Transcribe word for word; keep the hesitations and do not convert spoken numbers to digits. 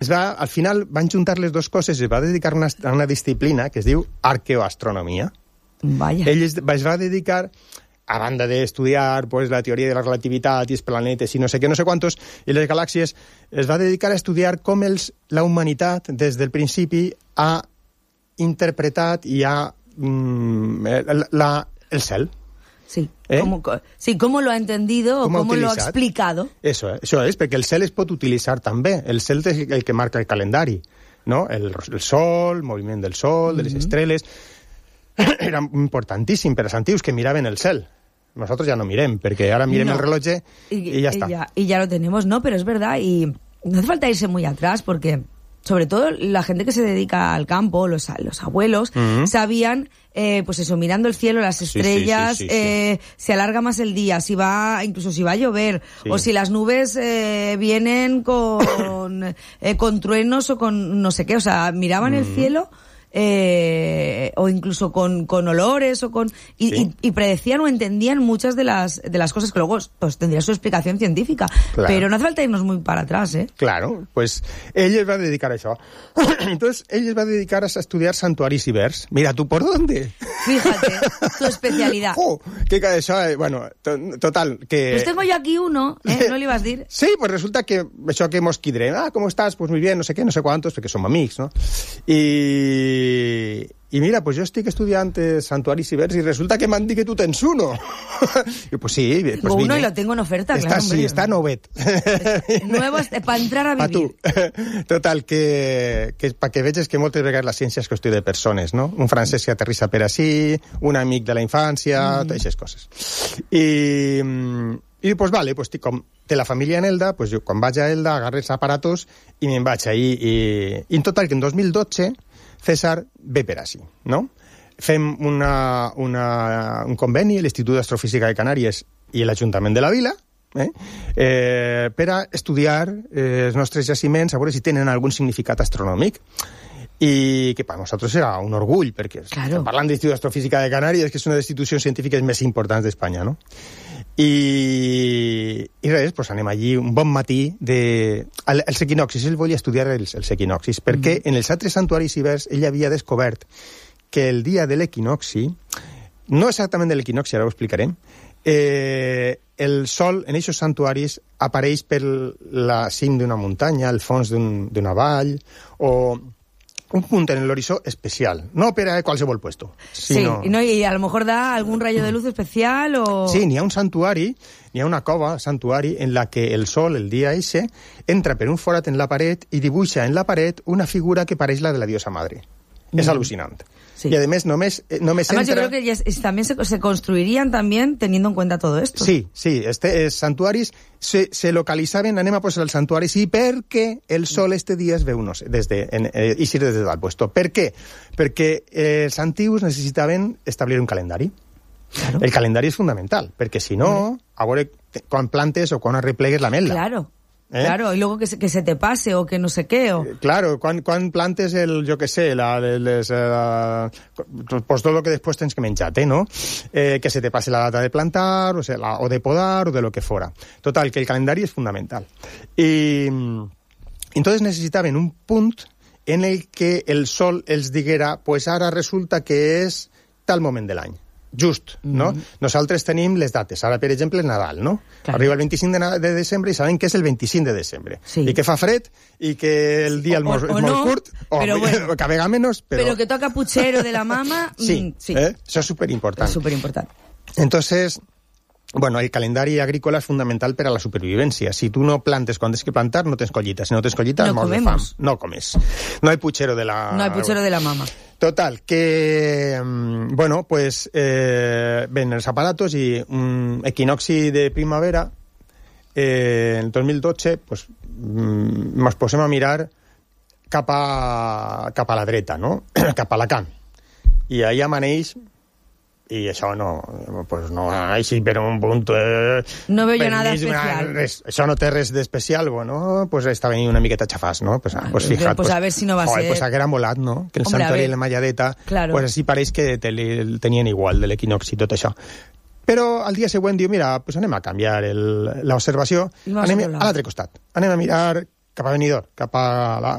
es va, al final van juntar les dues coses i es va dedicar una, a una disciplina que es diu arqueoastronomia. Vaya. Ell es, es va dedicar, a banda d'estudiar pues, la teoria de la relativitat i els planetes i no sé què, no sé quantos, i les galàxies, es va dedicar a estudiar com els, la humanitat, des del principi, ha interpretat i ha mm, la, el cel. Sí, ¿Eh? ¿Cómo, sí, cómo lo ha entendido o cómo, cómo lo ha explicado. Eso, eso és, perquè el cel es pot utilitzar també. El cel és el que marca el calendari, no? El, el sol, el moviment del sol, de les mm-hmm. estrelles... Era importantíssim per als antics que miraven el cel. Nosotros ya no mirem, perquè ara mirem no. el rellotge y, y ya está. Y ya, y ya lo tenemos, ¿no? Pero es verdad, y no hace falta irse muy atrás, porque... sobre todo la gente que se dedica al campo, los, los abuelos, uh-huh. sabían, eh, pues eso, mirando el cielo, las estrellas, sí, sí, sí, sí, eh, sí. se alarga más el día, si va, incluso si va a llover, sí. o si las nubes eh, vienen con, eh, con truenos o con no sé qué, o sea, miraban uh-huh. el cielo... Eh, o incluso con, con olores o con y, sí. y, y predecían o entendían muchas de las de las cosas que luego pues tendría su explicación científica, claro. pero no hace falta irnos muy para atrás, ¿eh? Claro, pues ell es va dedicar a això. Entonces, ell es va dedicar a estudiar santuaris ibers. Mira, ¿tú por dónde? Fíjate, tu especialidad. Oh, que això, eh, bueno, to, total, que... Pues tengo yo aquí uno, ¿eh? ¿No le ibas a decir? Sí, pues resulta que això que mos quidrem, ah, ¿cómo estás? Pues muy bien, no sé qué, no sé cuántos, perquè som amics, no? I I, i mira, pues jo estic estudiant santuaris ibers i resulta que m'han dit que tu tens uno. I pues sí, pues tengo vine. Uno y lo tengo en oferta, está, claro. Sí, hombre. Está novet. Nuevo para entrar a vivir. Pa tu. Total, que, que para que veges que moltes vegades la ciència és qüestió de persones, no? Un francès que aterrissa per ací, un amic de la infància, mm. totes aquestes coses. I... I pues vale, pues com té la família en Elda, pues jo quan vaig a Elda agarro els aparatos i me'n vaig ahí. I, i en total que en dos mil dotze César ve per així, no? Fem una, una, un conveni a l'Institut d'Astrofísica de Canàries i l'Ajuntament de la Vila eh? Eh, per a estudiar eh, els nostres jaciments, a veure si tenen algun significat astronòmic. I que per nosaltres era un orgull, perquè claro. estem parlant de l'Institut d'Astrofísica de Canàries, que és una de les institucions científiques més importants d'Espanya, no? I, i res, pues anem allí un bon matí de... El, els equinoxis, ell volia estudiar els, els equinoxis, perquè mm. en els altres santuaris ibers ell havia descobert que el dia de l'equinoxi, no exactament de l'equinoxi, ara ho explicarem, eh, el sol en aquests santuaris apareix per la cim d'una muntanya, al fons d'una un, vall, o... un punt en l'horitzó especial, no per a qualsevol puesto. Sino... Sí, no, y a lo mejor da algún rayo de luz especial o... Sí, n'hi ha un santuari, n'hi ha una cova, santuari, en la que el sol, el dia eixe, entra per un forat en la paret i dibuixa en la paret una figura que pareix la de la diosa madre. Mm. És al·lucinant. Sí. Y además només, només Además entra... yo creo que ya es, también se, se construirían también teniendo en cuenta todo esto. Sí, sí, este es santuaris se, se localitzaven, anem a posar els santuaris, i perquè el sol este dia es veu, no sé, des de, en, eh, i des de dalt puesto. Per què? Perquè eh, els antius necessitaven establir un calendari. Claro. El calendari és fundamental, perquè si no, a veure quan plantes o quan arreplegues la melda. Claro. ¿Eh? Claro, y luego que se, que se te pase o que no sé qué. O... Claro, quan, quan plantes el, jo que sé, la, les, uh, pues todo lo que después tens que menjar-te, ¿no? Eh, que se te pase la data de plantar, o, sea, la, o de podar, o de lo que fuera. Total, que el calendari és fundamental. I entonces necessitaven un punt en el que el sol els diguera, pues ara resulta que és tal moment de l'any. Just, no? Mm-hmm. Nosaltres tenim les dates. Ara, per exemple, Nadal, no? Clar. Arriba el vint-i-cinc de, de desembre i sabem que és el vint-i-cinc de desembre. Sí. I que fa fred i que el dia o, o, és molt no, curt, o, però bueno, que a vegades menys, però... Però que toca puchero de la mama... Sí, mm, sí. Eh? Això és superimportant. És superimportant. Entonces... Bueno, el calendari agrícola és fundamental per a la supervivència. Si tu no plantes quan tens que plantar, no tens collita. Si no tens collita, no mors de fam. No comes. No hay puchero de la... No hay puchero de la mama. Total, que... Bueno, pues... Eh, ven els aparatos i un equinoxi de primavera eh, en el dos mil dotze pues, ens posem a mirar cap a, cap a la dreta, no? Cap a Alacant. I ahí amaneix... i això no, pues no, així per un punt... Eh, no veo nada especial. Res, això no té res d'especial, bueno, pues estava una miqueta xafàs, no? Pues, ah, pues fija't, pues, pues, a ver si no va a joder, ser... Pues haguera molat, no? Que el Hombre, santuari i la malladeta, claro. Pues així pareix que te, el tenien igual, de l'equinoxi i tot això. Però al dia següent diu, mira, pues anem a canviar l'observació, anem a l'altre costat, anem a mirar cap a Benidorm, cap a la,